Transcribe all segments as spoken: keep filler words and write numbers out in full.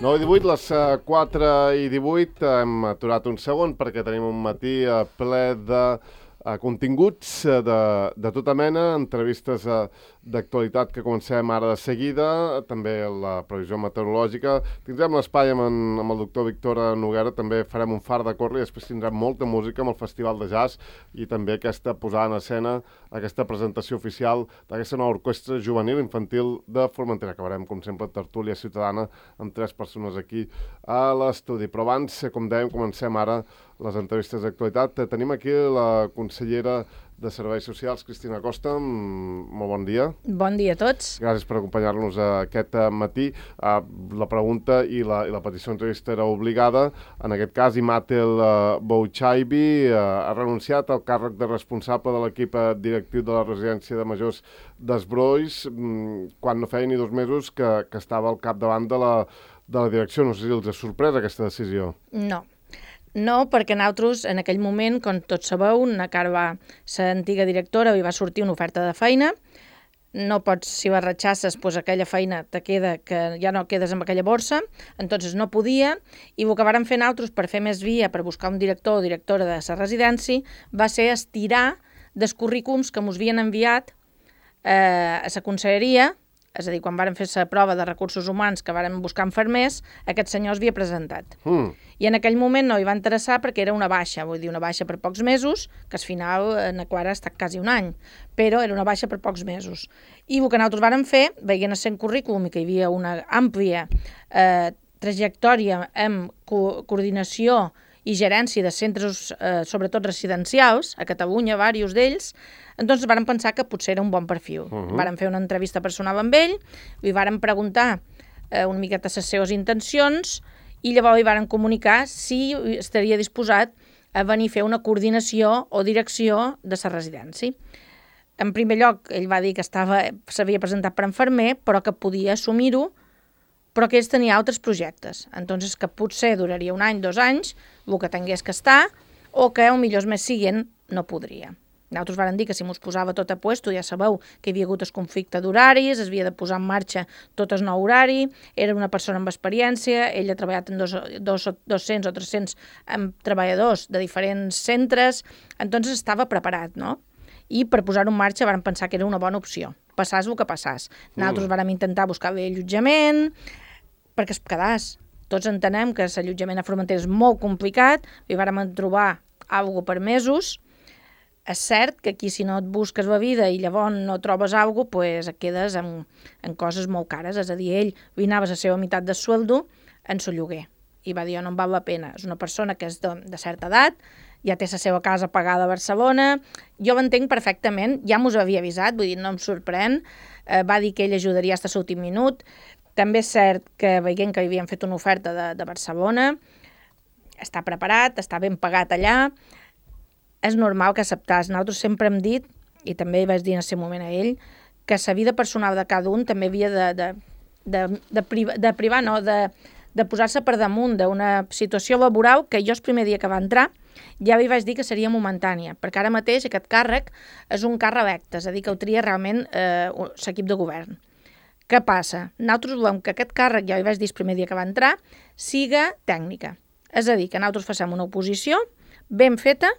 nou i divuit, les quatre i divuit, hem aturat un segon perquè tenim un matí ple de continguts de, de tota mena, entrevistes d'actualitat que comencem ara de seguida, també la previsió meteorològica. Tindrem l'espai amb, en, amb el doctor Víctor Noguera, també farem un far de corri, després tindrem molta música amb el Festival de Jazz i també aquesta posada en escena, aquesta presentació oficial d'aquesta nova orquestra juvenil infantil de Formentera. Acabarem, com sempre, tertúlia ciutadana amb tres persones aquí a l'estudi. Però abans, com dèiem, comencem ara les entrevistes d'actualitat. Tenim aquí la consellera de Serveis Socials, Cristina Costa. Molt bon dia. Bon dia a tots. Gràcies per acompanyar-nos aquest matí. La pregunta i la, i la petició d'entrevista era obligada. En aquest cas, Imatel Bouchaibi ha renunciat al càrrec de responsable de l'equip directiu de la residència de majors d'Esbrois, quan no feia ni dos mesos que, que estava al capdavant de la, de la direcció. No sé si els ha sorprès aquesta decisió. No. No, perquè nosaltres, en aquell moment, com tots sabeu, una cara va ser antiga directora i va sortir una oferta de feina. No pots, si la ratxasses, doncs aquella feina te queda, que ja no quedes amb aquella borsa, entonces no podia, i el que vàrem fer nosaltres per fer més via, per buscar un director o directora de la residència, va ser estirar dels currículums que ens havien enviat eh, a la conselleria. És a dir, quan vàrem fer la prova de recursos humans que vàrem buscar infermers, aquest senyor es havia presentat. Mm. I en aquell moment no hi va interessar perquè era una baixa, vull dir, una baixa per pocs mesos, que al final en la qual ha estat quasi un any, però era una baixa per pocs mesos. I el que nosaltres vàrem fer, veient el seu currículum i que hi havia una àmplia eh, trajectòria en co coordinació i gerència de centres, eh, sobretot residencials, a Catalunya, diversos d'ells, doncs vàrem pensar que potser era un bon perfil. Uh -huh. Vàrem fer una entrevista personal amb ell, li vàrem preguntar eh, una miqueta les seves intencions i llavors li vàrem comunicar si estaria disposat a venir a fer una coordinació o direcció de la residència. En primer lloc, ell va dir que s'havia presentat per infermer, però que podia assumir-ho, però que ells tenia altres projectes. Entonces, que potser duraria un any, dos anys, el que tingués que estar, o que, o millor més siguent, no podria. Nosaltres vàrem dir que si mos posava tot a puesto, ja sabeu que hi havia hagut el conflicte d'horaris, es havia de posar en marxa tot el nou horari, era una persona amb experiència, ell ha treballat amb dos, dos, dos-cents o tres-cents amb treballadors de diferents centres, entonces estava preparat, no? I per posar-ho en marxa vàrem pensar que era una bona opció, passàs el que passàs. Nosaltres mm. vàrem intentar buscar-li allotjament, perquè es quedàs. Tots entenem que l'allotjament a Formentera és molt complicat, i vàrem trobar alguna cosa per mesos. És cert que aquí si no et busques la vida i llavors no trobes alguna cosa, pues et quedes en, en coses molt cares. És a dir, ell vinava la seva meitat de sueldo en el lloguer i va dir, no em val la pena. És una persona que és de, de certa edat, ja té la seva casa pagada a Barcelona, jo l'entenc perfectament, ja m'ho havia avisat, vull dir, no em sorprèn, eh, va dir que ell ajudaria fins a l'últim minut. També és cert que veient que havien fet una oferta de, de Barcelona, està preparat, està ben pagat allà, és normal que acceptàs. Nosaltres sempre hem dit, i també vaig dir en aquest moment a ell, que la vida personal de cada un també havia de, de, de, de, privar, de privar, no, de, de posar-se per damunt d'una situació laboral que jo el primer dia que va entrar ja li vaig dir que seria momentània, perquè ara mateix aquest càrrec és un càrrec electe, és a dir, que ho tria realment eh, l'equip de govern. Què passa? Nosaltres volem que aquest càrrec, ja li vaig dir el primer dia que va entrar, siga tècnica. És a dir, que nosaltres facem una oposició ben feta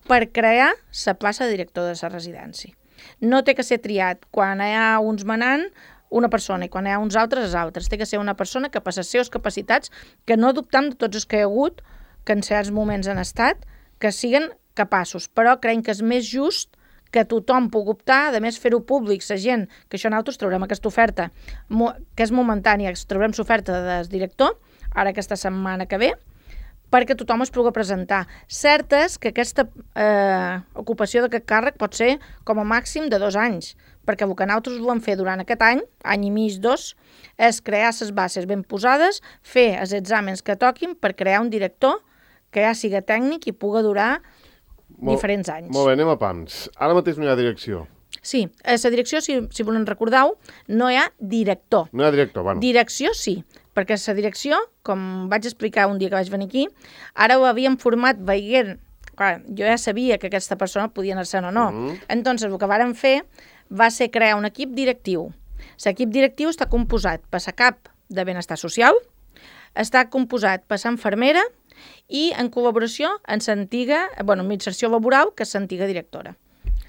per crear la plaça de director de la residència. No té que ser triat quan hi ha uns manant una persona i quan hi ha uns altres els altres. Té que ser una persona que per les seves capacitats, que no dubtam de tots els que hi ha hagut, que en certs moments han estat, que siguen capaços. Però creiem que és més just que tothom pugui optar, a més fer-ho públic, la gent, que això nosaltres traurem aquesta oferta, que és momentània, traurem l'oferta del director, ara aquesta setmana que ve, perquè tothom es pugui presentar. Cert és que aquesta eh, ocupació d'aquest càrrec pot ser com a màxim de dos anys, perquè el que nosaltres volem fer durant aquest any, any i mig, dos, és crear les bases ben posades, fer els exàmens que toquin per crear un director que ja siga tècnic i pugui durar molt, diferents anys. Molt bé, anem a pams. Ara mateix no hi ha direcció. Sí, a la direcció, si, si volen recordar-ho, no hi ha director. No hi ha director, bueno. Direcció sí, perquè la direcció, com vaig explicar un dia que vaig venir aquí, ara ho havíem format veient, clar, jo ja sabia que aquesta persona podia anar-se'n o no. Mm-hmm. Entonces, el que vàrem fer va ser crear un equip directiu. L'equip directiu està composat per la cap de benestar social, està composat per l'enfermera i en col·laboració amb l'antiga, bueno, administració laboral, que és l'antiga directora.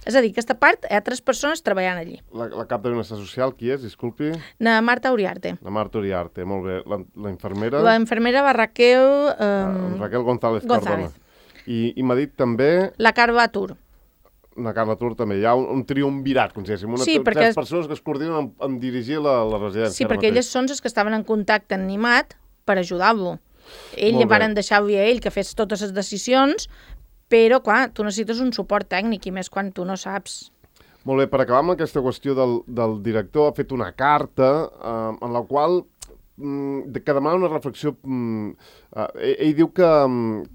És a dir, aquesta part hi ha tres persones treballant allí. La, la cap de Benestar Social, qui és? Disculpi. Na Marta Uriarte. La Marta Uriarte, molt bé. La, la infermera? La infermera va Raquel... Eh... Uh, Raquel González, González. Cardona. I, i m'ha dit també... La Carla Tur. La Carla Tur també. Hi ha un, un triumvirat, com si diguéssim. Una, sí, perquè... tres persones que es coordinen en, en dirigir la, la residència. Sí, perquè elles són les que estaven en contacte animat per ajudar-lo. Ell van deixar-li a ell que fes totes les decisions, però, clar, tu necessites un suport tècnic, i més quan tu no saps. Molt bé, per acabar amb aquesta qüestió del, del director, ha fet una carta eh, en la qual mm, que demana una reflexió. Mm, eh, ell, ell diu que,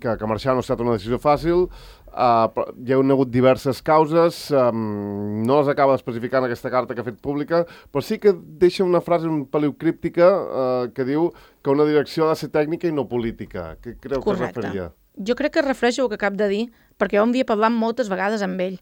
que, que marxar no ha estat una decisió fàcil, eh, hi ha hagut diverses causes, eh, no les acaba d'especificar en aquesta carta que ha fet pública, però sí que deixa una frase un peliu críptica eh, que diu que una direcció ha de ser tècnica i no política. Què creu Correcte. que es referia? Jo crec que es refereix al que acabo de dir, perquè jo en havia parlat moltes vegades amb ell.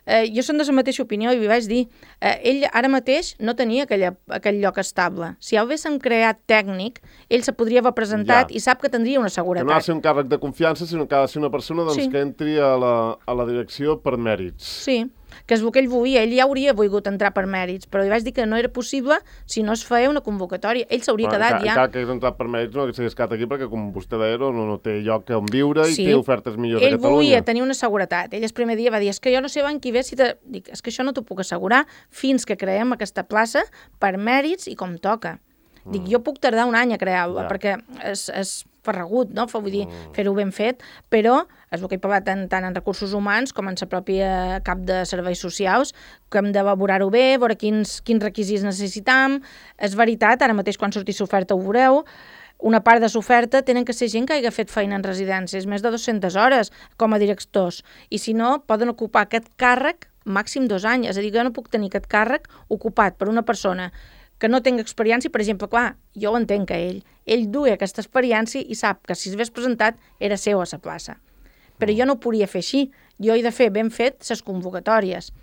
Eh, jo som de la mateixa opinió i li vaig dir, eh, ell ara mateix no tenia aquella, aquell lloc estable. Si ja ho haguéssim creat tècnic, ell se podria haver presentat ja. I sap que tindria una seguretat. Que no ha de ser un càrrec de confiança, sinó que ha de ser una persona doncs, sí. que entri a la, a la direcció per mèrits. Sí, que és el que ell volia. Ell ja hauria volgut entrar per mèrits, però li vaig dir que no era possible si no es feia una convocatòria. Ell s'hauria quedat encara, ja... Encara que hagués entrat per mèrits no s'hagués quedat aquí perquè, com vostè deia, no, no té lloc on viure sí. i té ofertes millors ell a Catalunya. Ell volia tenir una seguretat. Ell el primer dia va dir, és que jo no sé van qui ve si te... Dic, és que això no t'ho puc assegurar fins que creem aquesta plaça per mèrits i com toca. Mm. Dic, jo puc tardar un any a crear-la, ja. perquè és, és farragut, no? Vull dir, mm. fer-ho ben fet, però és el que he parlat tant, tant en recursos humans com en la pròpia cap de serveis socials, que hem d'elaborar-ho bé, veure quins, quins requisits necessitam. És veritat, ara mateix quan sortís l'oferta ho veureu, una part de l'oferta tenen que ser gent que hagi fet feina en residències, més de dues-centes hores com a directors, i si no, poden ocupar aquest càrrec màxim dos anys. És a dir, jo no puc tenir aquest càrrec ocupat per una persona que no tinc experiència, per exemple, clar, jo ho entenc que ell, ell duia aquesta experiència i sap que si s'hagués presentat era seu a la plaça. Però jo no ho podria fer així, jo he de fer ben fet les convocatòries.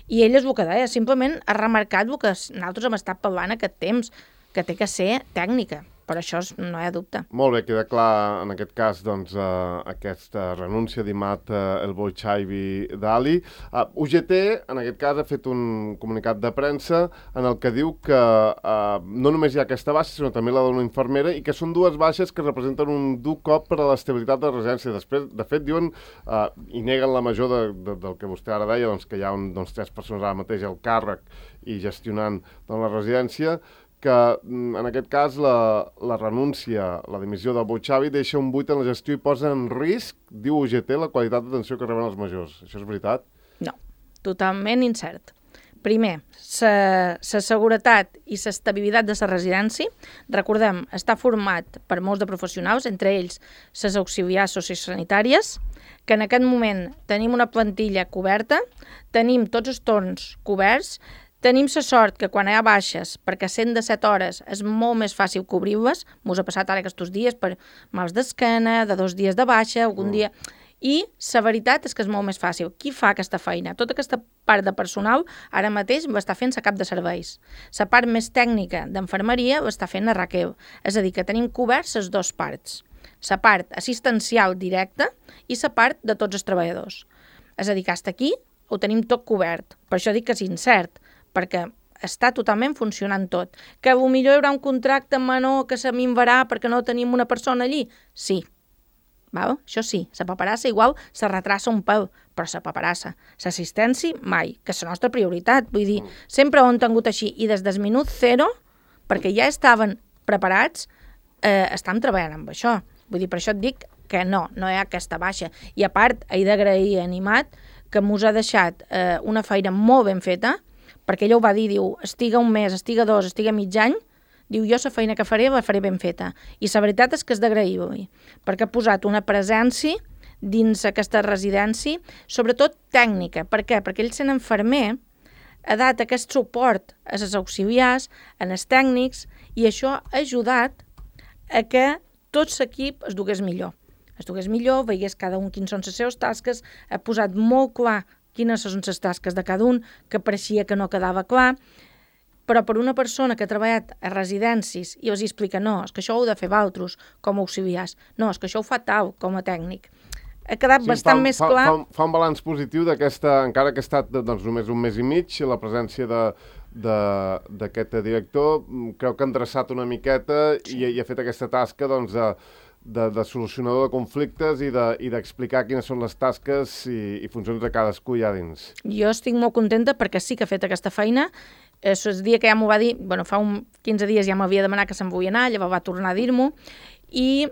I ell és el que deia, simplement ha remarcat el que nosaltres hem estat parlant aquest temps, que té que ser tècnica. Per això no hi ha dubte. Molt bé, queda clar en aquest cas doncs, uh, aquesta renúncia d'Imad uh, El Boixaivi d'Ali. Uh, U G T, en aquest cas, ha fet un comunicat de premsa en el que diu que uh, no només hi ha aquesta baixa, sinó també la d'una infermera, i que són dues baixes que representen un dur cop per a l'estabilitat de la residència. Després, de fet, diuen, uh, i neguen la major de, de, del que vostè ara deia, doncs, que hi ha un, doncs, tres persones ara mateix al càrrec i gestionant doncs, la residència, que en aquest cas la, la renúncia, la dimissió del Boixavi deixa un buit en la gestió i posa en risc, diu U G T, la qualitat d'atenció que reben els majors. Això és veritat? No, totalment incert. Primer, la seguretat i l'estabilitat de la residència, recordem, està format per molts de professionals, entre ells les auxiliars sociosanitàries, que en aquest moment tenim una plantilla coberta, tenim tots els torns coberts, tenim la sort que quan hi ha baixes, perquè cent de set hores és molt més fàcil cobrir-les, mos ha passat ara aquests dies per mals d'esquena, de dos dies de baixa, algun mm. dia... I la veritat és que és molt més fàcil. Qui fa aquesta feina? Tota aquesta part de personal ara mateix l'està fent la cap de serveis. La part més tècnica d'enfermeria l'està fent la Raquel. És a dir, que tenim coberts les dues parts. La part assistencial directa i la part de tots els treballadors. És a dir, que fins aquí ho tenim tot cobert. Per això dic que és incert, perquè està totalment funcionant tot. Que potser hi haurà un contracte menor que se minvarà perquè no tenim una persona allí? Sí. Val? Això sí, la paperassa igual se retrassa un pèl, però la paperassa, l'assistència mai, que és la nostra prioritat. Vull dir, sempre ho hem tingut així, i des del minut zero, perquè ja estaven preparats, eh, estem treballant amb això. Vull dir, per això et dic que no, no hi ha aquesta baixa. I a part, he d'agrair a Animat que mos ha deixat eh, una feina molt ben feta, perquè ella ho va dir, diu, estiga un mes, estiga dos, estiga mig any, diu, jo la feina que faré la faré ben feta. I la veritat és que és d'agrair-li, perquè ha posat una presència dins aquesta residència, sobretot tècnica. Per què? Perquè ell, sent enfermer, ha dat aquest suport a les auxiliars, a els tècnics, i això ha ajudat a que tot l'equip es dugués millor. Es dugués millor, veiés cada un quins són les seves tasques, ha posat molt clar quines són les tasques de cada un, que pareixia que no quedava clar, però per una persona que ha treballat a residències i els explica, no, és que això ho heu de fer vosaltres com a auxiliars, no, és que això ho fa tal com a tècnic. Ha quedat sí, bastant fa, més fa, clar... Fa, fa un balanç positiu d'aquesta, encara que ha estat doncs, només un mes i mig, la presència de d'aquest director, creu que ha endreçat una miqueta sí. i, i ha fet aquesta tasca doncs, de, de, de solucionador de conflictes i d'explicar de, quines són les tasques i, i funcions de cadascú allà dins. Jo estic molt contenta perquè sí que ha fet aquesta feina. El dia que ja m'ho va dir, bueno, fa un quinze dies ja m'havia demanat que se'n volia anar, llavors va tornar a dir-m'ho, i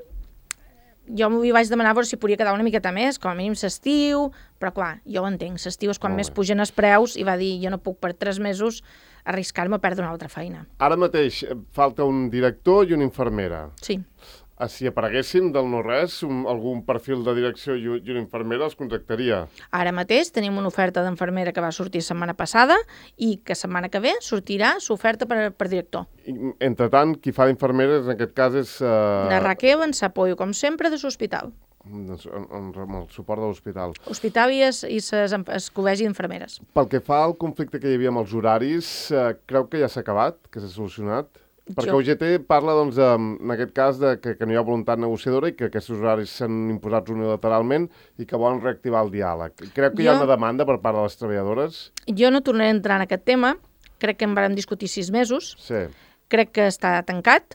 jo m'hi vaig demanar veure si podia quedar una miqueta més, com a mínim s'estiu, però clar, jo ho entenc, s'estiu és quan més pugen els preus, i va dir, jo no puc per tres mesos arriscar-me a perdre una altra feina. Ara mateix falta un director i una infermera. Sí. Si apareguessin del no-res, un, algun perfil de direcció i una infermera els contractaria. Ara mateix tenim una oferta d'infermera que va sortir setmana passada i que setmana que ve sortirà l'oferta per, per director. I, entre tant, qui fa d'infermera en aquest cas és... Uh... La Raquel ens apoyo, com sempre, de l'hospital. Amb, amb, amb el suport de l'hospital. Hospital i el col·legi d'infermeres. Pel que fa al conflicte que hi havia amb els horaris, uh, creu que ja s'ha acabat, que s'ha solucionat? Perquè Jo... U G T parla, doncs, en aquest cas, de que, que no hi ha voluntat negociadora i que aquests horaris s'han imposats unilateralment i que volen reactivar el diàleg. Creu que jo... hi ha una demanda per part de les treballadores? Jo no tornaré a entrar en aquest tema. Crec que en vam discutir sis mesos. Sí. Crec que està tancat.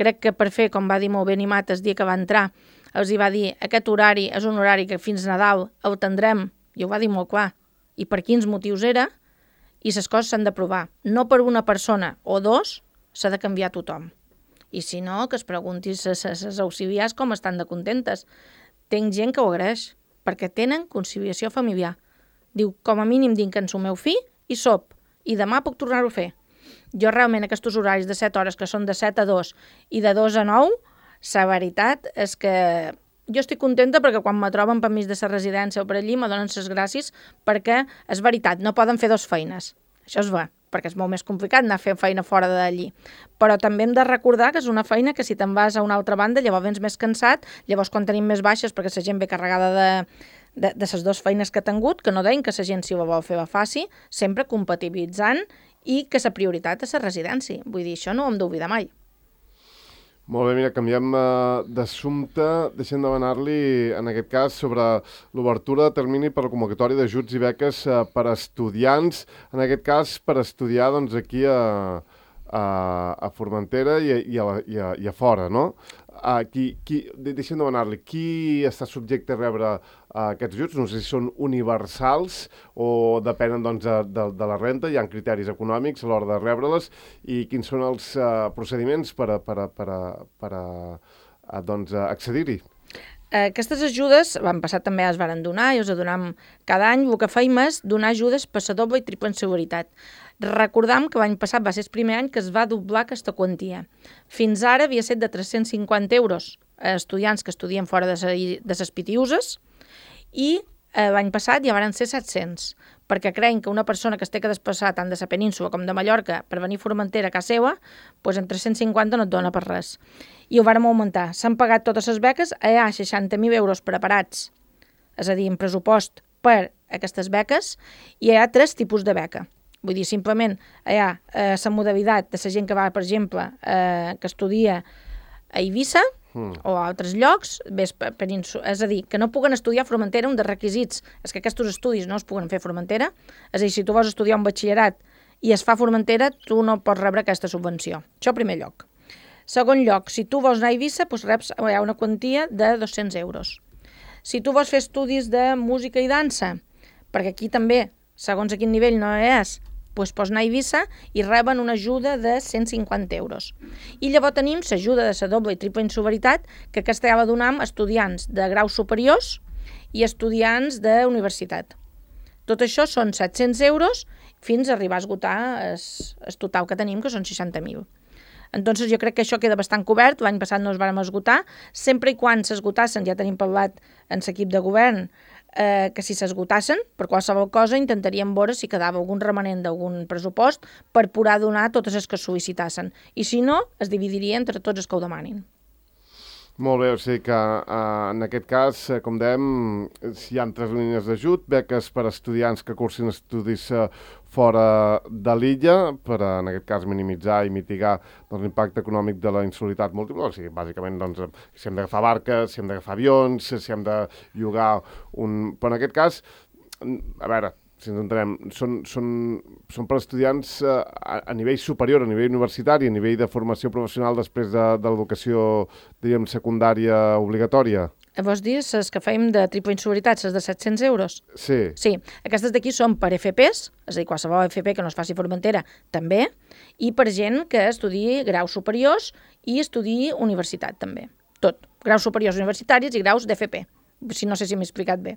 Crec que per fer, com va dir molt bé Animat el dia que va entrar, els hi va dir aquest horari és un horari que fins Nadal el tindrem, i ho va dir molt clar, i per quins motius era, i les coses s'han d'aprovar. No per una persona o dos, s'ha de canviar tothom. I si no, que es pregunti les auxiliars com estan de contentes. Tenc gent que ho agraeix, perquè tenen conciliació familiar. Diu, com a mínim dinc en el meu fill i sop, i demà puc tornar-ho a fer. Jo realment aquests horaris de set hores, que són de set a dos i de dos a nou, la veritat és que jo estic contenta perquè quan me troben per mig de la residència o per allí me donen les gràcies perquè, és veritat, no poden fer dos feines. Això es va, perquè és molt més complicat anar a fer feina fora d'allí. Però també hem de recordar que és una feina que si te'n vas a una altra banda llavors vens més cansat, llavors quan tenim més baixes perquè la gent ve carregada de, de, de les dues feines que ha tingut, que no deien que la gent si ho vol fer la faci, sempre compatibilitzant i que la prioritat és la residència. Vull dir, això no ho hem d'oblidar mai. Molt bé, mira, canviem uh, d'assumpte. Deixem demanar-li, en aquest cas, sobre l'obertura de termini per la convocatòria d'ajuts i beques uh, per a estudiants, en aquest cas per estudiar doncs, aquí a, a, a Formentera i a, i, a, i, a, i a fora, no? Uh, qui, qui, deixem demanar-li, qui està subjecte a rebre uh, aquests ajuts? No sé si són universals o depenen doncs, de, de, de la renta, hi ha criteris econòmics a l'hora de rebre-les, i quins són els uh, procediments per a, per a, per a, per a, a doncs, accedir-hi? Aquestes ajudes, l'any passat també es varen donar i us donem cada any. El que feim és donar ajudes per la doble i triple seguretat. Recordam que l'any passat va ser el primer any que es va doblar aquesta quantia. Fins ara havia estat de tres-cents cinquanta euros a estudiants que estudien fora de les Pitiuses i l'any passat ja van ser set-cents, perquè creiem que una persona que es té que desplaçar tant de la península com de Mallorca per venir a Formentera a casa seva, doncs en tres-cents cinquanta no et dona per res. I ho vàrem augmentar. S'han pagat totes les beques, hi ha seixanta mil euros preparats, és a dir, en pressupost per aquestes beques, i hi ha tres tipus de beca. Vull dir, simplement hi ha eh, la modalitat de la gent que va, per exemple, eh, que estudia a Eivissa, Mm. o a altres llocs, ves per, per, és a dir, que no puguen estudiar a Formentera, un dels requisits és que aquests estudis no es puguen fer a Formentera, és a dir, si tu vols estudiar un batxillerat i es fa a Formentera, tu no pots rebre aquesta subvenció. Això en primer lloc. Segon lloc, si tu vols anar a Eivissa, doncs reps hi ha una quantia de dos-cents euros. Si tu vols fer estudis de música i dansa, perquè aquí també, segons a quin nivell no és, doncs pots anar a Eivissa i reben una ajuda de cent cinquanta euros. I llavors tenim l'ajuda de la doble i triple insubaritat, que aquesta ja la donem a estudiants de graus superiors i estudiants de universitat. Tot això són set-cents euros fins a arribar a esgotar el total que tenim, que són seixanta mil. Entonces jo crec que això queda bastant cobert. L'any passat no es vam esgotar. Sempre i quan s'esgotassen, ja tenim parlat en l'equip de govern, eh, que si s'esgotassen, per qualsevol cosa intentaríem veure si quedava algun remanent d'algun pressupost per poder donar totes les que sol·licitassen. I si no, es dividiria entre tots els que ho demanin. Molt bé, o sigui que uh, en aquest cas, uh, com dèiem, hi ha tres línies d'ajut, beques per a estudiants que cursin estudis uh, fora de l'illa, per a, en aquest cas, minimitzar i mitigar doncs, l'impacte econòmic de la insolidaritat múltiple. O sigui, bàsicament, doncs, si hem d'agafar barques, si hem d'agafar avions, si hem de llogar un... Però en aquest cas, a veure, si ens entenem, són, són, són per estudiants eh, a, a nivell superior, a nivell universitari, a nivell de formació professional després de, de l'educació, diríem, secundària obligatòria. Vols dir, les que fèiem de triple insolidaritat, les de set-cents euros? Sí. Sí, aquestes d'aquí són per F Pes, és a dir, qualsevol F P que no es faci a Formentera, també, i per gent que estudiï graus superiors i estudiï universitat, també. Tot. Graus superiors universitaris i graus d'F P. Si no sé si m'he explicat bé.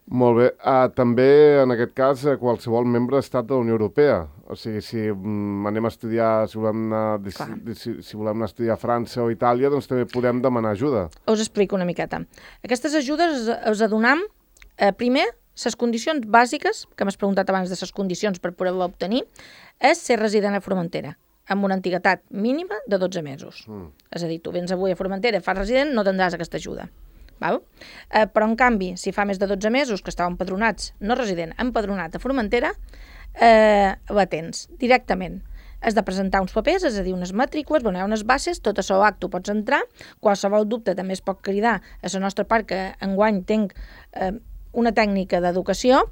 Molt bé. Uh, també, en aquest cas, uh, qualsevol membre d'estat de la Unió Europea. O sigui, si um, anem a estudiar, si volem anar, si, si volem anar a estudiar a França o Itàlia, doncs també podem demanar ajuda. Us explico una miqueta. Aquestes ajudes us adonam, eh, primer, les condicions bàsiques, que m'has preguntat abans de les condicions per poder-la obtenir, és ser resident a Formentera, amb una antiguitat mínima de dotze mesos. Mm. És a dir, tu vens avui a Formentera, fas resident, no tindràs aquesta ajuda. Val? Eh, però, en canvi, si fa més de dotze mesos que estàvem empadronats, no resident, empadronat a Formentera, eh, la tens directament. Has de presentar uns papers, és a dir, unes matrícules, bueno, hi ha unes bases, tot això acte pots entrar, qualsevol dubte també es pot cridar a la nostra part, que enguany tinc eh, una tècnica d'educació,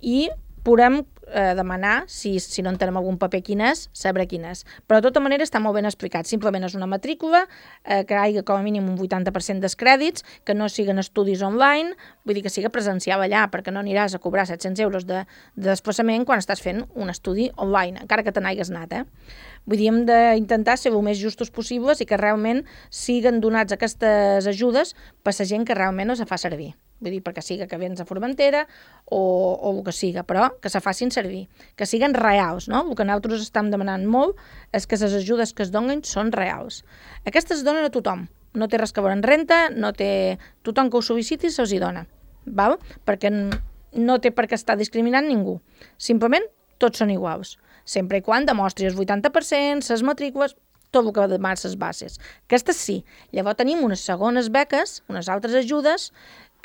i podem eh, demanar, si, si no entenem algun paper quin és, saber quin és. Però de tota manera està molt ben explicat. Simplement és una matrícula, eh, que hi ha com a mínim un vuitanta per cent dels crèdits, que no siguen estudis online, vull dir que siga presencial allà, perquè no aniràs a cobrar set-cents euros de, de desplaçament quan estàs fent un estudi online, encara que te n'hagués anat, eh? Vull dir, hem d'intentar ser el més justos possibles i que realment siguen donats aquestes ajudes per la gent que realment es fa servir. Vull dir, perquè siga que vens a Formentera o, o el que siga, però que se facin servir, que siguen reals, no? El que nosaltres estem demanant molt és que les ajudes que es donen són reals. Aquestes es donen a tothom, no té res que veure en renta, no té... tothom que ho sol·liciti se'ls hi dona, val? Perquè no té per què estar discriminant ningú, simplement tots són iguals, sempre i quan demostri el vuitanta per cent, les matrícules, tot el que demanen les bases. Aquestes sí. Llavors tenim unes segones beques, unes altres ajudes,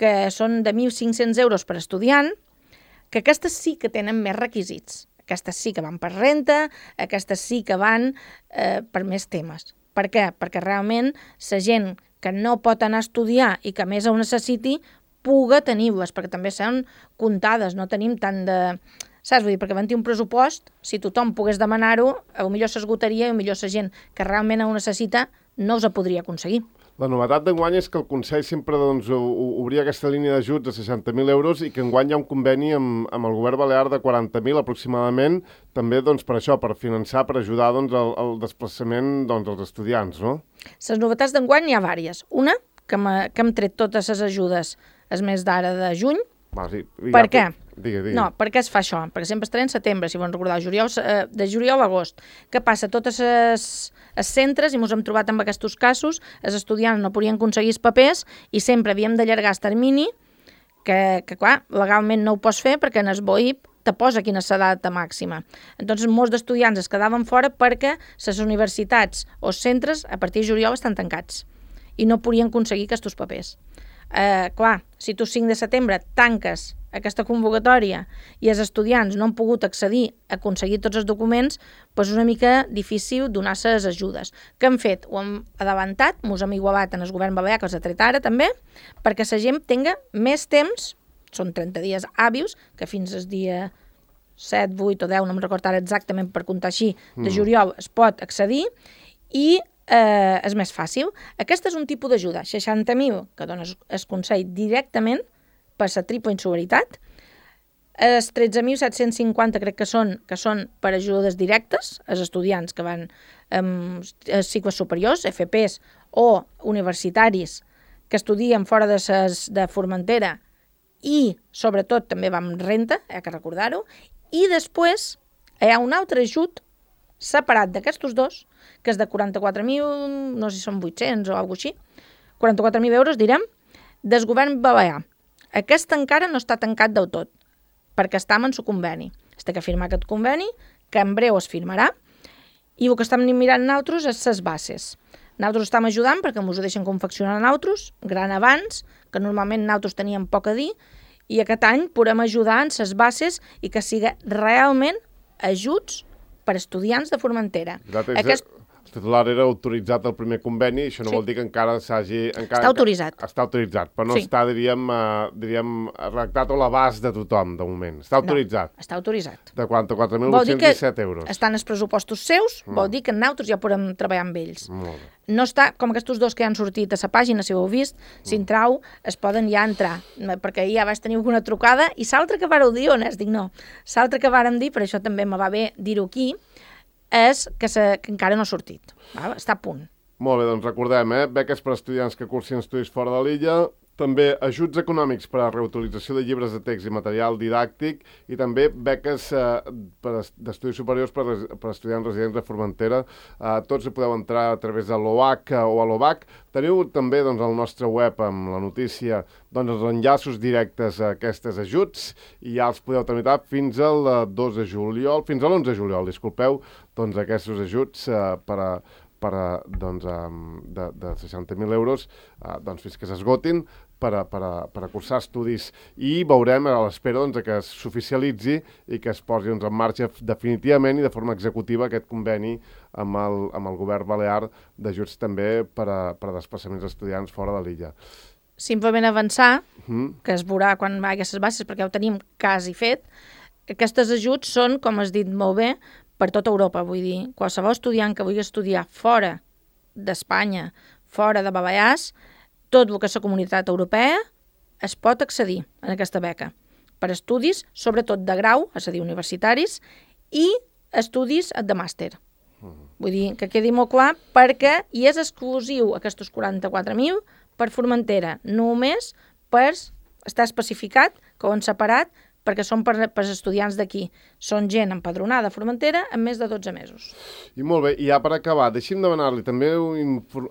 que són de mil cinc-cents euros per estudiant, que aquestes sí que tenen més requisits. Aquestes sí que van per renta, aquestes sí que van eh, per més temes. Per què? Perquè realment la gent que no pot anar a estudiar i que més ho necessiti, puga tenir-les, perquè també són comptades, no tenim tant de... Saps? Vull dir, perquè havent-hi un pressupost, si tothom pogués demanar-ho, potser s'esgotaria i potser la gent que realment ho necessita no us ho podria aconseguir. La novetat d'enguany és que el Consell sempre doncs, obria aquesta línia d'ajuts de seixanta mil euros i que enguany hi ha un conveni amb, amb el govern balear de quaranta mil aproximadament, també doncs, per això, per finançar, per ajudar doncs, el, el desplaçament doncs, dels estudiants, no? Les novetats d'enguany hi ha vàries. Una, que, que hem tret totes les ajudes el mes d'ara de juny. Va, sí. Per què? Digue, digue. No, per què es fa això? Perquè sempre estaré en setembre, si volen recordar, juliol, eh, de juliol a agost. Què passa? Totes les, els centres, i ens hem trobat amb aquests casos, els estudiants no podien aconseguir els papers i sempre havíem d'allargar el termini, que, que clar, legalment no ho pots fer perquè en el B O I P te posa quina és la data màxima. Entonces, molts d'estudiants es quedaven fora perquè les universitats o centres a partir de juliol estan tancats i no podien aconseguir aquests papers. Eh, clar, si tu cinc de setembre tanques aquesta convocatòria i els estudiants no han pogut accedir a aconseguir tots els documents, doncs és una mica difícil donar les ajudes. Què hem fet? Ho hem adelantat, ens hem igualat en el govern balear, que els ha tret ara també, perquè la gent tinga més temps, són trenta dies hàbils, que fins al dia set, vuit o deu, no em recordo ara exactament per comptar així, de juliol es pot accedir i eh, és més fàcil. Aquest és un tipus d'ajuda, seixanta mil, que dona el Consell directament per la triple insolidaritat, els tretze mil set-cents cinquanta crec que són, que són per ajudes directes, els estudiants que van en cicles superiors, F Pes o universitaris que estudien fora de, ses, de Formentera i, sobretot, també van amb renta, hi ha que recordar-ho, i després hi ha un altre ajut separat d'aquests dos, que és de quaranta-quatre mil, no sé si són vuit-cents o alguna cosa així, quaranta-quatre mil euros, direm, del govern balear. Aquest encara no està tancat del tot, perquè estem en el conveni. Es té que firmar aquest conveni, que en breu es firmarà, i el que estem mirant nosaltres és les bases. Nosaltres estem ajudant perquè ens ho deixen confeccionar a nosaltres, gran abans, que normalment nosaltres teníem poc a dir, i aquest any podem ajudar en les bases i que siga realment ajuts per estudiants de Formentera. Aquest... El titular era autoritzat el primer conveni, això no sí. vol dir que encara s'hagi... Està autoritzat. Està autoritzat, però no sí. està, diríem, uh, diríem, redactat a l'abast de tothom, de moment. Està autoritzat. No, està autoritzat. De quaranta-quatre mil vuit-cents disset euros. Estan els pressupostos seus, mm. vol dir que nosaltres ja podem treballar amb ells. Molt bé. No està, com aquests dos que han sortit a la pàgina, si ho heu vist, mm. si entrau, es poden ja entrar, perquè ja vaig tenir alguna trucada, i l'altre que vareu dir, on és? Dic, no. L'altre que vàrem dir, per això també me va bé dir-ho aquí, és que, se, que encara no ha sortit. Va? Està a punt. Molt bé, doncs recordem, eh? Beques per estudiants que cursin estudis fora de l'illa, també ajuts econòmics per a reutilització de llibres de text i material didàctic i també beques eh, per d'estudis superiors per, per estudiants residents de Formentera. Eh, tots hi podeu entrar a través de l'O H o a l'O B A C. Teniu també doncs, al nostre web amb la notícia doncs, els enllaços directes a aquests ajuts i ja els podeu tramitar fins al dos de juliol, fins a l'onze de juliol, disculpeu, doncs aquests ajuts eh, per a per a, doncs, de, de seixanta mil euros eh, doncs, fins que s'esgotin per a, per, a, per a cursar estudis i veurem a l'espera doncs, que s'oficialitzi i que es posi doncs, en marxa definitivament i de forma executiva aquest conveni amb el, amb el govern balear d'ajuts també per a, per a desplaçaments d'estudiants fora de l'illa. Simplement avançar, mm. que es veurà quan va aquestes bases, perquè ho tenim quasi fet. Aquests ajuts són, com has dit molt bé, per tota Europa, vull dir, qualsevol estudiant que vulgui estudiar fora d'Espanya, fora de Balears, tot el que és la comunitat europea, es pot accedir a aquesta beca per estudis, sobretot de grau, és a dir, universitaris, i estudis de màster. Uh-huh. Vull dir, que quedi molt clar, perquè hi és exclusiu aquests quaranta-quatre mil per Formentera, només per estar especificat que ho han separat perquè són per, per estudiants d'aquí. Són gent empadronada a Formentera en més de dotze mesos. I molt bé, i ja per acabar, deixi'm demanar-li també,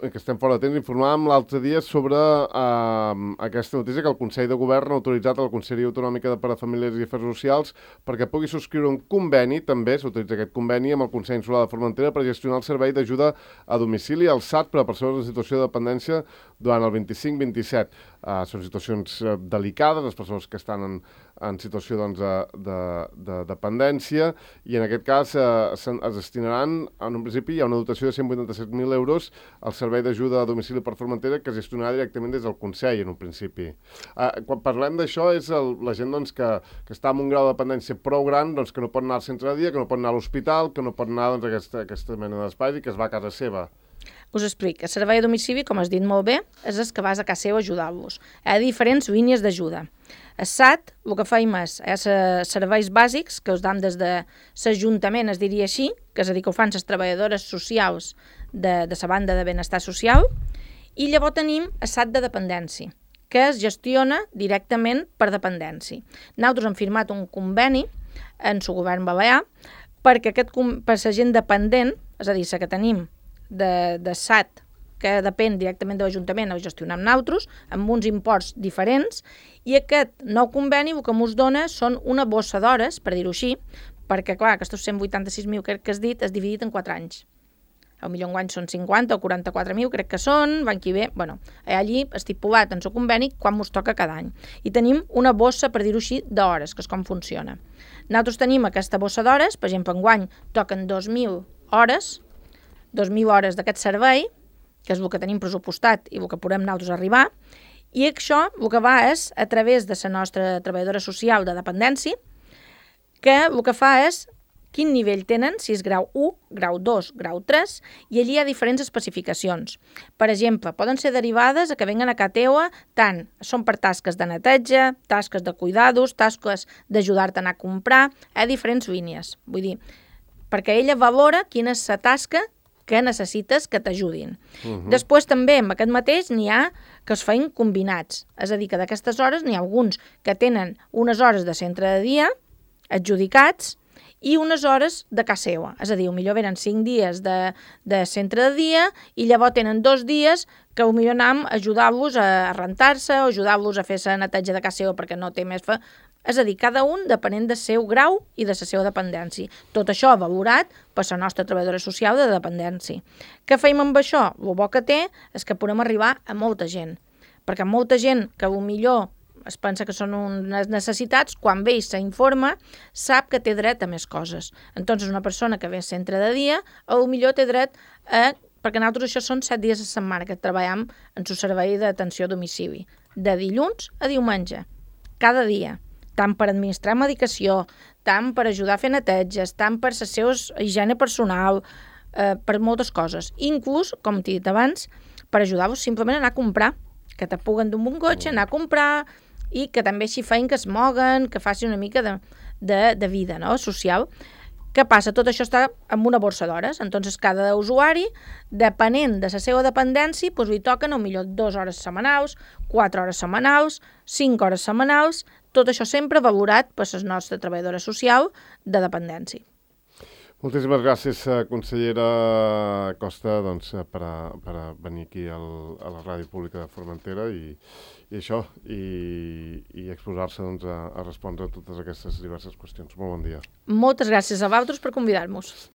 que estem fora de temps, informàvem l'altre dia sobre eh, aquesta notícia que el Consell de Govern ha autoritzat a la Conselleria Autonòmica per a Famílies i Afers Socials perquè pugui subscriure un conveni, també s'utilitza aquest conveni, amb el Consell Insular de Formentera per gestionar el servei d'ajuda a domicili al S A T per a persones en situació de dependència durant el vint-i-cinc vint-i-set. Uh, són situacions uh, delicades, les persones que estan en, en situació doncs, de, de, de dependència, i en aquest cas uh, es destinaran, en un principi hi ha una dotació de cent vuitanta-set mil euros al servei d'ajuda a domicili per Formentera que es gestionarà directament des del Consell en un principi. Uh, quan parlem d'això és el, la gent doncs, que, que està en un grau de dependència prou gran, doncs, que no pot anar al centre de dia, que no pot anar a l'hospital, que no pot anar doncs, a aquesta, aquesta mena d'espais i que es va a casa seva. Us explico. El servei a domicili, com has dit molt bé, és el que vas a casa seu a ajudar-los. Hi ha diferents línies d'ajuda. El S A T, el que feim és, és serveis bàsics que us dan des de l'Ajuntament, es diria així, que és a dir, que ho fan les treballadores socials de, de la banda de benestar social, i llavors tenim el S A T de dependència, que es gestiona directament per dependència. Nosaltres hem firmat un conveni en el govern balear perquè aquest, per la gent dependent, és a dir, la que tenim de, de S A T, que depèn directament de l'Ajuntament, ho gestionem nosaltres, amb uns imports diferents, i aquest nou conveni el que ens dona són una bossa d'hores, per dir-ho així, perquè, clar, aquests cent vuitanta-sis mil crec que has dit és dividit en quatre anys. El millor enguany són cinquanta o quaranta-quatre mil, crec que són, l'any que ve, bueno, allí estipulat en el conveni quan ens toca cada any. I tenim una bossa, per dir-ho així, d'hores, que és com funciona. Nosaltres tenim aquesta bossa d'hores, per exemple, enguany toquen dos mil hores, dos mil hores d'aquest servei, que és el que tenim pressupostat i el que podem nosaltres arribar, i això el que va és a través de la nostra treballadora social de dependència, que el que fa és quin nivell tenen, si és grau u, grau dos, grau tres, i allí hi ha diferents especificacions. Per exemple, poden ser derivades a que venguen a casa teua, tant són per tasques de neteja, tasques de cuidados, tasques d'ajudar-te a anar a comprar, hi ha diferents línies. Vull dir, perquè ella valora quina és la tasca que necessites que t'ajudin. Uh-huh. Després també amb aquest mateix n'hi ha que es feien combinats, és a dir, que d'aquestes hores n'hi ha alguns que tenen unes hores de centre de dia adjudicats i unes hores de casa seva, és a dir, potser venen cinc dies de, de centre de dia i llavors tenen dos dies que potser anem a ajudar-los a rentar-se o ajudar-los a fer la neteja de casa seva perquè no té més fa... És a dir, cada un depenent del seu grau i de la seva dependència. Tot això valorat per la nostra treballadora social de dependència. Què feim amb això? El bo que té és que podem arribar a molta gent, perquè molta gent que millor es pensa que són unes necessitats, quan ve i s'informa, sap que té dret a més coses. Entonces, una persona que ve al centre de dia, potser té dret a... perquè nosaltres això són set dies a la setmana que treballem en el servei d'atenció a domicili, de dilluns a diumenge, cada dia, tant per administrar medicació, tant per ajudar a fer neteges, tant per la seva higiene personal, eh, per moltes coses. Inclús, com t'he dit abans, per ajudar-vos simplement a anar a comprar, que te puguen d'un bon cotxe, anar a comprar, i que també així feien que es moguen, que facin una mica de, de, de vida, no?, social. Què passa? Tot això està en una borsa d'hores. Entonces, cada usuari, depenent de la seva dependència, doncs li toquen potser dues hores setmanals, quatre hores setmanals, cinc hores setmanals, tot això sempre valorat per la nostra treballadora social de dependència. Moltíssimes gràcies, consellera Costa, doncs, per, a, per a venir aquí al, a la Ràdio Pública de Formentera i, i això, i, i exposar-se doncs, a, a respondre a totes aquestes diverses qüestions. Molt bon dia. Moltes gràcies a vosaltres per convidar-nos.